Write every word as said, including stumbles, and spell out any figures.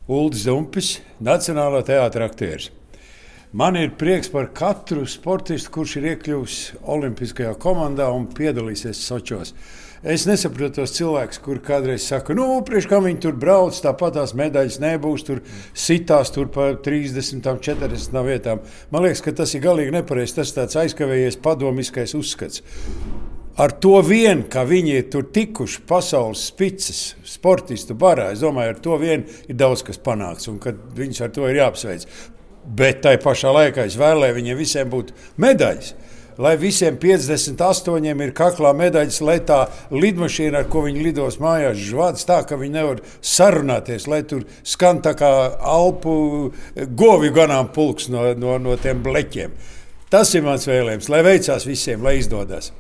Uldis Dumpis, Nacionālā teātra aktieris. Man ir prieks par katru sportistu, kurš ir iekļuvis olimpiskajā komandā un piedalīsies Sočos. Es nesaprotu tos cilvēkus, kur kādreiz saka, nu, priekš kā viņi tur brauc, tāpat tās medaļas nebūs, tur sitās tur pa trīsdesmit, četrdesmit vietām. Man liekas, ka tas ir galīgi nepareizi, tas tāds aizkavējies padomiskais uzskats. Ar to vien, ka viņi ir tur tikuši pasaules spices, sportistu barā, es domāju, ar to vien ir daudz kas panāks un ka viņus ar to ir jāapsveic. Bet tai pašā laikā es vēlēju viņiem visiem būt medaļas. Lai visiem piecdesmit astoņiem ir kaklā medaļas, lai tā lidmašīna, ar ko viņi lidos mājās, žvāds tā, ka viņi nevar sarunāties, lai tur skan tā kā Alpu govju ganām pulks no, no, no tiem bleķiem. Tas ir mans vēlējums, lai veicās visiem, lai izdodas.